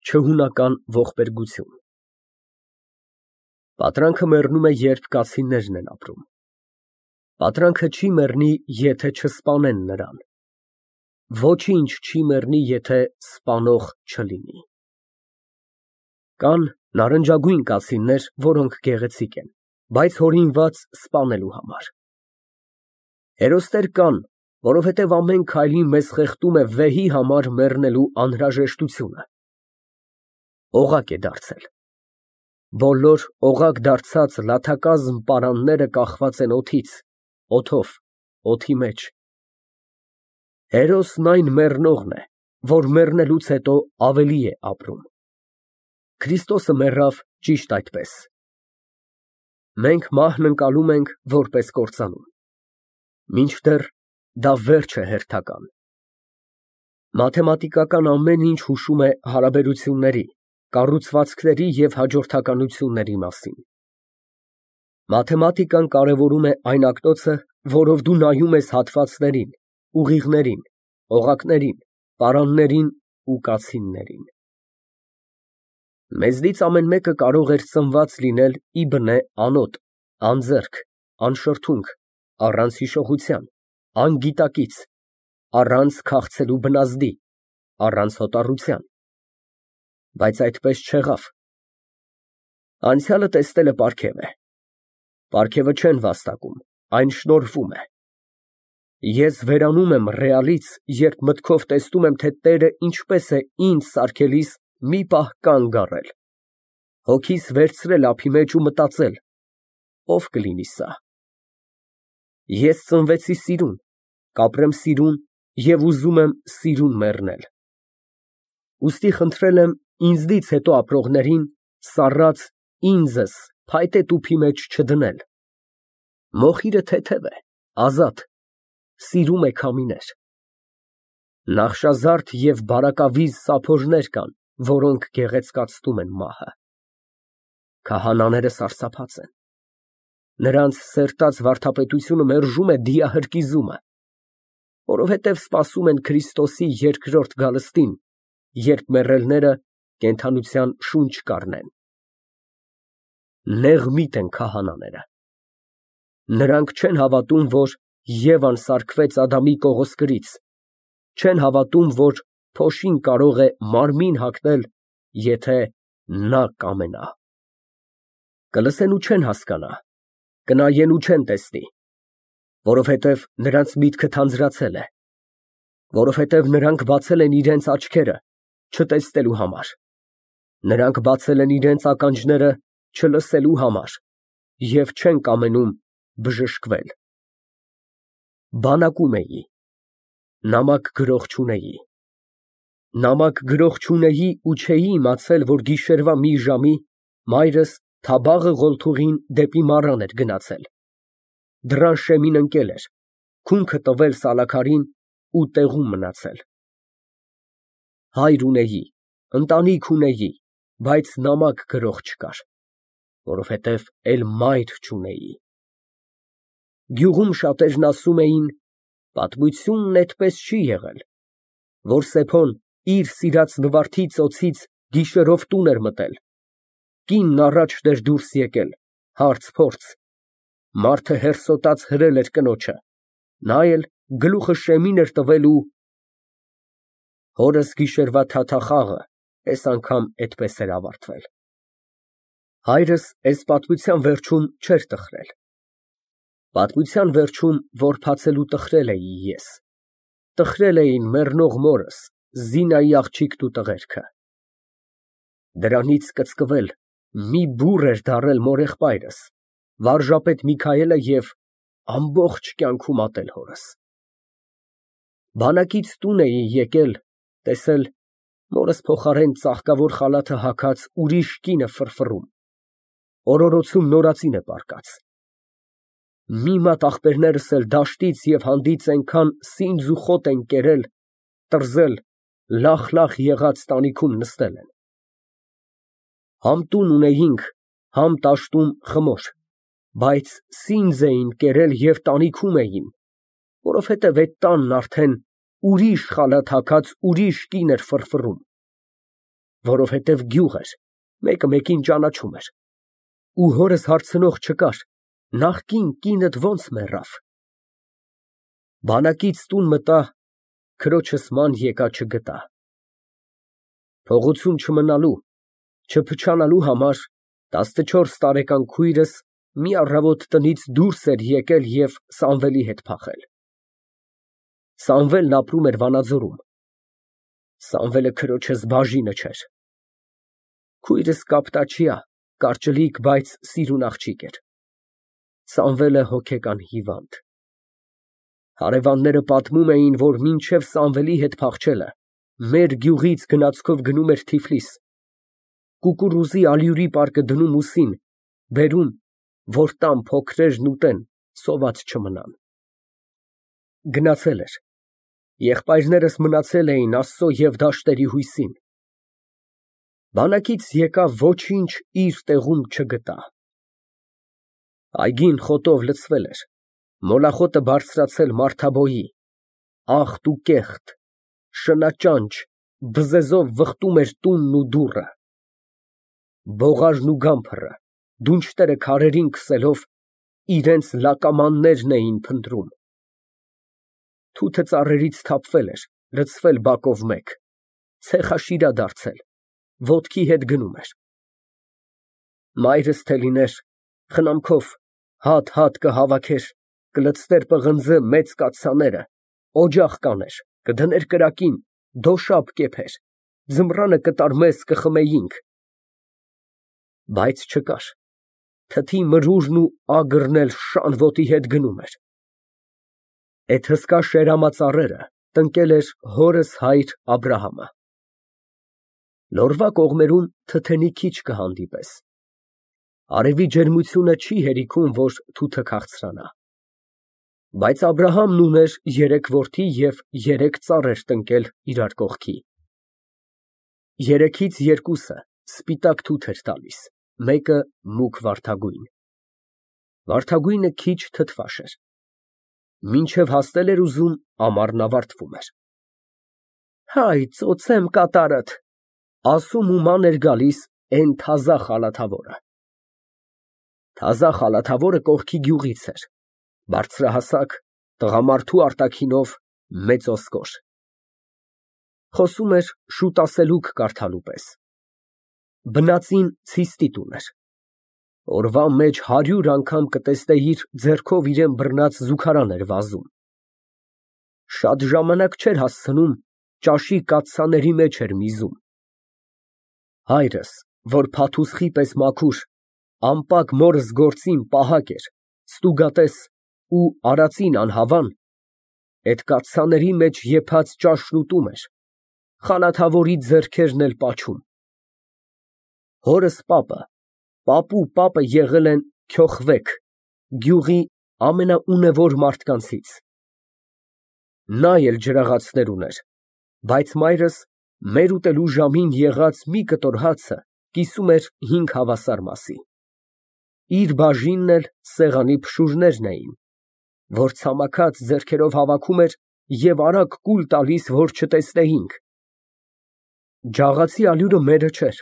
Չհունական ողբերգություն Պատրանքը մեռնում է, երբ կացիններն են ապրում, պատրանքը չի մեռնի, եթե չսպանեն նրան, ոչինչ չի մեռնի, եթե սպանող չլինի։ Կան նարնջագույն կացիններ, որոնք գեղեցիկ են, բայց հորինված սպանելու համար, հերոստեր կան, որովհետև ամեն քայլին մեզ խեղդում է վեհի համար մեռնելու անհրաժեշտությունը, օղակ է դարձել, բոլոր օղակ դարձած լաթակազմ պարանները կախված են օդից, օդով, օդի մեջ, հերոսն այն մեռնողն է, որ մեռնելուց հետո ավելի է ապրում, Քրիստոսը մեռավ ճիշտ այդպես, մենք մահն ընկալում ենք որպես կործանում, մինչդեռ դա վերջ է հերթական, մաթեմատիկական ամեն ինչ հուշում է հարաբերությունների, կառուցվածքների և հաջորդականությունների մասին, մաթեմատիկան կարևորում է այն ակտոցը, որով դու նայում ես հատվածներին, ուղիղներին, օղակներին, պարաններին ու կացիններին, մեզնից ամեն մեկը կարող էր ծնված լինել ի բնե անոտ, անձեռք, անշրթունք, առանց հիշողության, անգիտակից, առանց քաղցելու բնազդի, առանց հոտառության, բայց այդպես չեղավ, անցյալը տեսնելը պարգև է, պարգևը չեն վաստակում, այն շնորհվում է, ես վերանում եմ ռեալից, երբ մտքով տեսնում եմ, թե Տերը ինչպես է ինձ սարքելիս մի պահ կանգ առել, հոգիս վերցրել ափի մեջ ու մտածել. ով կլինի սա, ես ծնվեցի սիրուն, կապրեմ սիրուն և ուզում եմ սիրուն մեռնել, ուստի խնդրել եմ ինձնից հետո ապրողներին սառած ինձս փայտե տուփի մեջ չդնել, մոխիրը թեթև է, ազատ, սիրում է քամիներ, նախշազարդ և բարակավիզ սափորներ կան, որոնք գեղեցկացնում են մահը, քահանաները սարսափած են, նրանց սերտած վարդապետությունը մերժում է դիահրկիզումը, որովհետև սպասում են Քրիստոսի երկրորդ գալստին, երբ մեռելները կենդանության շունչ կառնեն, նեղմիտ են քահանաները, նրանք չեն հավատում, որ Եվան սարքվեց Ադամի կողոսկրից, չեն հավատում, որ փոշին կարող է մարմին հագնել, եթե նա կամենա, կլսեն ու չեն հասկանա, կնայեն ու չեն տեսնի, որովհետև նրանց միտքը թանձրացել է, որովհետև նրանք բացել են իրենց աչքերը չտեսնելու համար, նրանք բացել են իրենց ականջները չլսելու համար և չեն կամենում բժշկվել, բանակում էի, նամակ գրող չունեի, նամակ գրող չունեի ու չէի իմացել, որ գիշերվա մի ժամի մայրս Թաբաղը Ղոլթուղին դեպի մառան էր գնացել, դռան շեմին ընկել էր, քունքը տվել Սալաքարին ու տեղում մնացել, հայր ունեի, ընտանիք ունեի, բայց նամակ գրող չկար, որովհետև էլ մայր չունեի, գյուղում շատերն ասում էին, պատմությունն էդպես չի եղել, որ Սեփոն իր սիրած նվարդի ծոցից գիշերով տուն էր մտել, կինն առաջն էր դուրս եկել, հարց֊փորձ, մարդը հերսոտած հրել էր կնոջը, նա էլ գլուխը շեմին էր տվել ու… Հորս գիշերվա թաթախաղը էս անգամ էդպես էր ավարտվել, հայրս էս պատմության վերջում չէր տխրել, պատմության վերջում որբացել ու տխրել էի ես, տխրել էին մեռնող մորս, Զինայի աղջիկն ու տղերքը, դրանից կծկվել մի բուռ էր դառել մորեղբայրս, վարժապետ Միքայելը և ամբողջ կյանքում ատել հորս, բանակից տուն էի եկել, տեսել մորս փոխարեն ծաղկավոր խալաթը հագած ուրիշ կին է ֆռֆռում, օրորոցում նորածին է պառկած, մի մատ ախպերներս էլ դաշտից և հանդից այնքան սինձ ու խոտ են կերել, տրզել, լախ եղած տանիքում նստել են, համ տուն ունեինք, համ տաշտում խմոր, բայց սինձ էին կերել և տանիքում էին, որովհետև էդ տանն արդեն ուրիշ խալաթ հագած ուրիշ կին էր ֆռֆռում, որովհետև գյուղ էր, մեկը մեկին ճանաչում էր։ Ու հորս հարցնող չկար, նախկին կինդ ո՞նց մեռավ։ Բանակից տուն մտա, քրոջս ման եկա չգտա։ Փողություն չմնալու, չփչանալու համար 14 տարեկան քույրս մի առավոտ տնից դուրս էր եկել և Սամվելի հետ փախել։ Սամվելն ապրում էր Վանաձորում։ Սամվելը քրոջս բաժինը չէր։ Քույրս կապտաչյա, կարճլիկ, բայց սիրուն աղջիկ էր։ Սամվելը հոգեկան հիվանդ։ Հարևանները պատմում էին, որ մինչև Սամվելի հետ փախչելը մեր գյուղից գնացքով գնում էր Թիֆլիս, կուկուռուզի ալյուրի պարկը դնում ուսին, բերում, որ տան փոքրերն ուտեն, սոված չմնան։ Գնացել էր։ Եղբայրներս մնացել էին Աստծո և դաշտերի հույսին։ Բանակից եկավ, ոչինչ իր տեղում չգտա։ Այգին խոտով լցվել էր, մոլախոտը բարձրացել մարդաբոյի, աղտ ու կեղտ, շնաճանճ, բզեզով վխտում էր տունն ու դուռը։ Բողարն ու գամփրը, դունչտերը քարերին քսելով, իրենց լակամաններն էին փնտրում։ Թութը ծառերից թափվել էր, լցվել բակով մեկ, ցեխաշիրա դարձել, ոտքի հետ գնում էր։ Մայրս թե լիներ, խնամքով հատ կհավաքեր, կլցներ պղնձը մեծ կաթսաները, օջախ կաներ, կդներ կրակին, դոշաբ կեփեր, ձմռանը կտար մեզ կխմեինք։ Բայց չկար, թթի մրուրն ու ագրն էլ շան ոտի հետ գնում էր։ Էդ հսկա շերամածառերը տնկել էր հորս հայր Աբրահամը։ Լորվա կողմերում թթենի քիչ կհանդիպես։ Արևի ջերմությունը չի հերիքում, որ թութը քաղցրանա։ Բայց Աբրահամն ուներ 3 որդի և 3 ծառեր տնկել իրար կողքի։ Երեքից երկուսը սպիտակ թութ էր տալիս, մեկը մուգ վարդագույն։ Վարդագույնը քիչ թթվաշ էր։ Մինչև հասնել էր ուզում, ամառն ավարտվում էր։ Հայ, ծոցեմ կատարըդ, ասում ու ման էր գալիս էն թազա խալաթավորը։ Թազա խալաթավորը կողքի գյուղից էր, բարձրահասակ, տղամարդու արտաքինով, մեծ ոսկոր։ Խոսում էր շուտ ասելուկ կարդալու պես։ Բնածին ցիստիտ ուներ։ Օրվա մեջ 100 անգամ կտեսնեիր ձեռքով իրան բռնած զուգարան էր վազում։ Շատ ժամանակ չէր հասցնում, ճաշի կաթսաների մեջ էր միզում։ Հայրս, որ փաթուսխի պես մաքուր, անպակ մորս գործին պահակ էր, ստուգատես ու արածին անհավան, էդ կաթսաների մեջ եփած ճաշն ուտում էր, խալաթավորի ձեռքերն էլ պաչում։ Հորս պապը եղել են Քյոխվեք, գյուղի ամենաունևոր մարդկանցից։ Նա էլ ջրաղացներ ուներ, բայց մայրս մեր ուտելու ժամին եղած մի կտոր հացը կիսում էր 5 հավասար մասի։ Իր բաժինն էլ սեղանի փշուրներն էին, որ ցամաքած ձեռքերով հավաքում էր և արագ կուլ տալիս, որ չտեսնեինք։ Ջաղացի ալյուրը մերը չէր,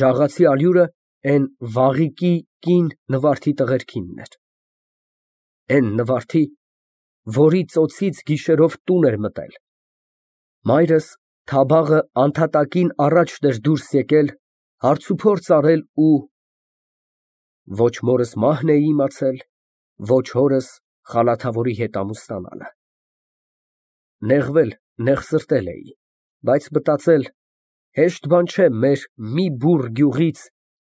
ջաղացի ալյուրը էն Վաղիկի կին Նվարդի տղերքինն էր։ Էն Նվարդի, որի ծոցից գիշերով տուն էր մտել։ Մայրս թաբաղը անդհատակին առաջն էր դուրս եկել, հարցուփորձ արել ու… Ոչ մորս մահն էի իմացել, ոչ հորս խալաթավորի հետ ամուսնանալը։ Նեղվել, նեղսրտել էի, բայց մտածել, հեշտ բան չէ մեր մի բուռ գյուղից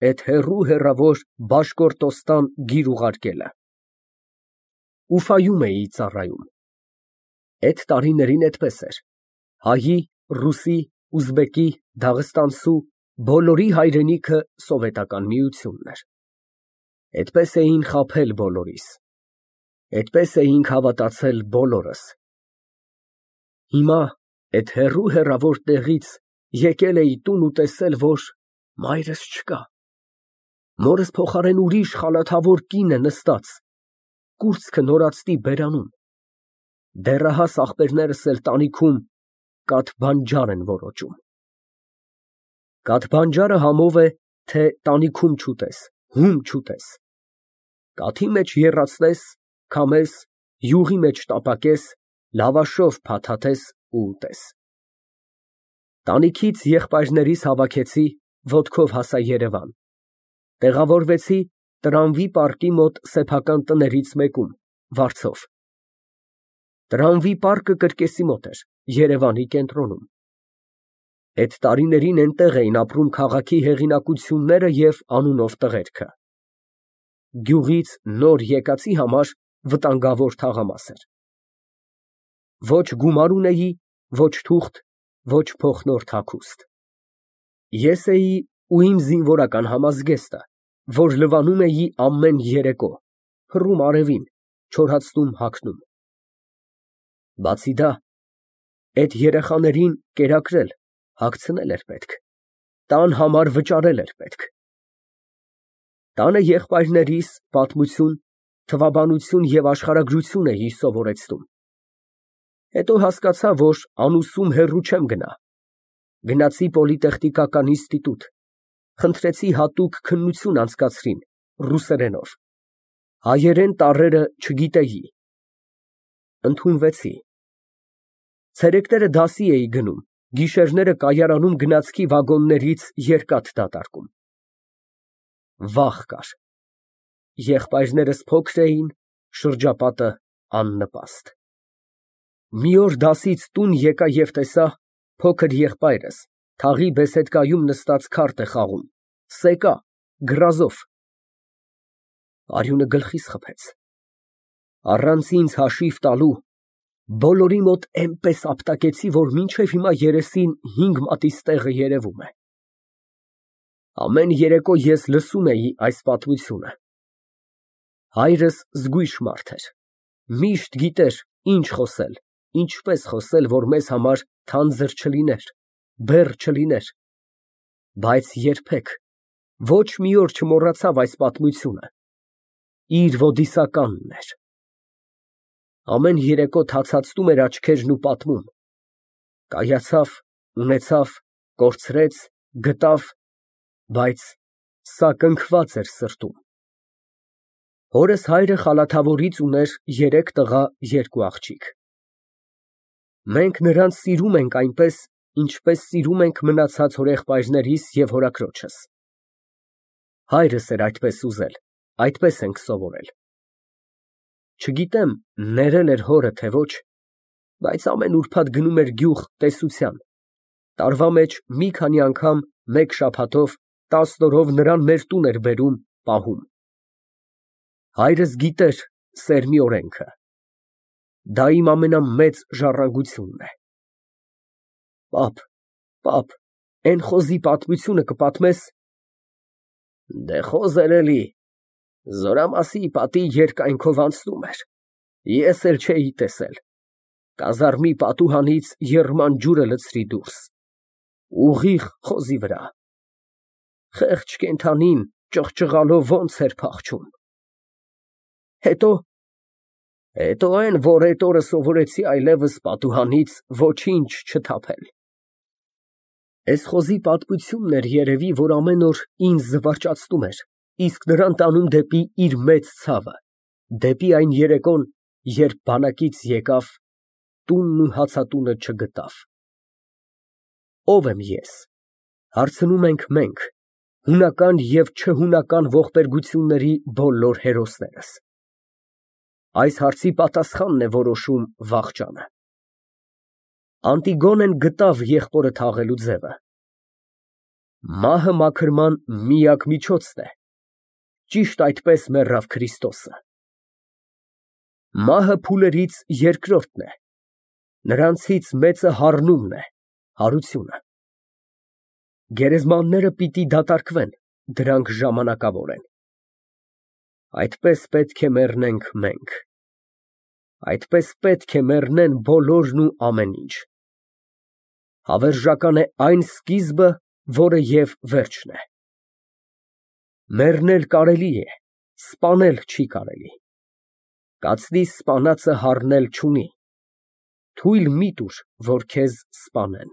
էդ հեռավոր Բաշկորտոստան գիր ուղարկելը։ Ուֆայում էի ծառայում։ Էդ տարիներին էդպես էր, հայի, ռուսի, ուզբեկի, դաղստանցու բոլորի հայրենիքը սովետական միությունն էր։ Էդպես էին խաբել բոլորիս, էդպես էինք հավատացել բոլորս։ Հիմա էդ հեռավոր տեղից եկել էի տուն ու տեսել, որ մայրս չկա։ Մորս փոխարեն ուրիշ խալաթավոր կին է նստած, կուրծքը նորածտի բերանում։ Դեռահաս ախպերներս էլ տանիքում կաթ բանջար են որոճում։ Կաթ համով է, թե տանիքում չուտես, հում չուտես, կաթի մեջ եռացնես, քամես, յուղի մեջ տապակես, լավաշով փաթաթես ու ուտես։ Տանիքից եղբայրներիս հավաքեցի, ոտքով հասա Երևան, տեղավորվեցի Տրամվի պարկի մոտ սեփական տներից մեկում, վարձով։ Տրամվի պարկը կրկեսի մոտ էր, Երևանի կենտրոնում։ Այդ տարիներին այնտեղ էին ապրում քաղաքի հեղինակությունները և անունով տղերքը։ Գյուղից նոր եկածի համար վտանգավոր թաղամաս էր։ Ոչ գումար ունեի, ոչ թուղթ, ոչ փոխնորդ հագուստ։ Ես էի ու իմ զինվորական համազգեստը, որ լվանում էի ամեն երեկո, փռում արևին, չորացնում հագնում։ Բացի դա, այդ երեխաներին կերակրել, հագցնել էր պետք, տան համար վճարել էր պետք։ Տանը եղբայրներիս պատմություն, թվաբանություն և աշխարհագրություն էի սովորեցնում։ Հետո հասկացա, որ անուսում հեռու չեմ գնա։ Գնացի պոլիտեխնիկական ինստիտուտ, խնդրեցի հատուկ քննություն անցկացրին ռուսերենով, հայերեն տառերը չգիտեի, ընդունվեցի։ Ցերեկները դասի էի գնում, գիշերները կայարանում գնացքի վագոններից երկաթ դատարկում։ Վախ կար։ Եղբայրներս փոքր էին, շրջապատը աննպաստ։ Մի օր դասից տուն եկա և տեսա փոքր եղբայրս թաղի բեսեդկայում նստած քարտ է խաղում, սեկա, գրազով։ Արյունը գլխիս խփեց։ Առանց ինձ հաշիվ տալու բոլորի մոտ այնպես ապտակեցի, որ մինչև հիմա երեսին 5 մատից տեղը երևում է։ Ամեն երեկո ես լսում էի այս պատմությունը։ Հայրս զգույշ մարդ էր, միշտ գիտեր ինչ խոսել, ինչպես խոսել, որ մեզ համար թանձր չլիներ, բեռ չլիներ, բայց երբեք, ոչ մի օր չմոռացավ այս պատմությունը, իր ոդիսականն էր։ Ամեն երեկո թացածում էր աչքերն ու պատմում, կայացավ, ունեցավ, կորցրեց, գտավ, բայց սա կնքված էր սրտում։ Հորս հայրը Խալաթավորից ուներ 3 տղա, 2 աղջիկ։ Մենք նրանց սիրում ենք այնպես, ինչպես սիրում ենք մնացած հորեղբայրներիս և հորաքրոջս։ Հայրս էր այդպես ուզել, այդպես ենք սովորել։ Չգիտեմ, ներել էր հորը, թե ոչ, բայց ամեն ուրբաթ գնում էր գյուղ տեսության, տարվա մեջ մի քանի անգամ մեկ շաբաթով 10 օրով նրան մեր տուն էր բերում, պահում։ Հայրս գիտեր սերմի օրենքը։ Դա իմ ամենամեծ ժառանգությունն է։ Պապ, էն խոզի պատմությունը կպատմես։ Դե խոզեր էլի, Զորամասի պատի երկայնքով անցնում էր, ես էլ չէի տեսել, կազարմի պատուհանից եռման ջուրը լցրի դուրս, ուղիղ խոզի վրա, խեղճ կենդանին ճղճղալով ոնց էր փախչում։ Հետո այն, որ էդ օրը սովորեցի այլևս պատուհանից ոչինչ չթափել։ Էս խոզի պատմությունն էր երևի, որ ամեն օր ինձ զվարճացնում էր, իսկ նրան տանում դեպի իր մեծ ցավը, դեպի այն երեկոն, երբ բանակից եկավ, տունն ու հացատունը չգտավ։ Ո՞վ եմ ես, հարցնում ենք մենք, հունական և չհունական ողբերգությունների բոլոր հերոսներս։ Այս հարցի պատասխանն է որոշում վախճանը։ Անտիգոնեն գտավ եղբորը թաղելու ձևը։ Մահը մաքրման միակ միջոցն է, ճիշտ այդպես մեռավ Քրիստոսը։ Մահը փուլերից երկրորդն է, նրանցից մեծը հառնումն է, հարությունը։ Գերեզմանները պիտի դատարկվեն, դրանք ժամանակավոր են։ Այդպես պետք է մեռնենք մենք։ Այդպես պետք է մեռնեն բոլորն ու ամեն ինչ։ Հավերժական է այն սկիզբը, որը և վերջն է։ Մեռնել կարելի է, սպանել չի կարելի։ Կացնի սպանածը հառնել չունի, թույլ մի տուր, որ քեզ սպանեն։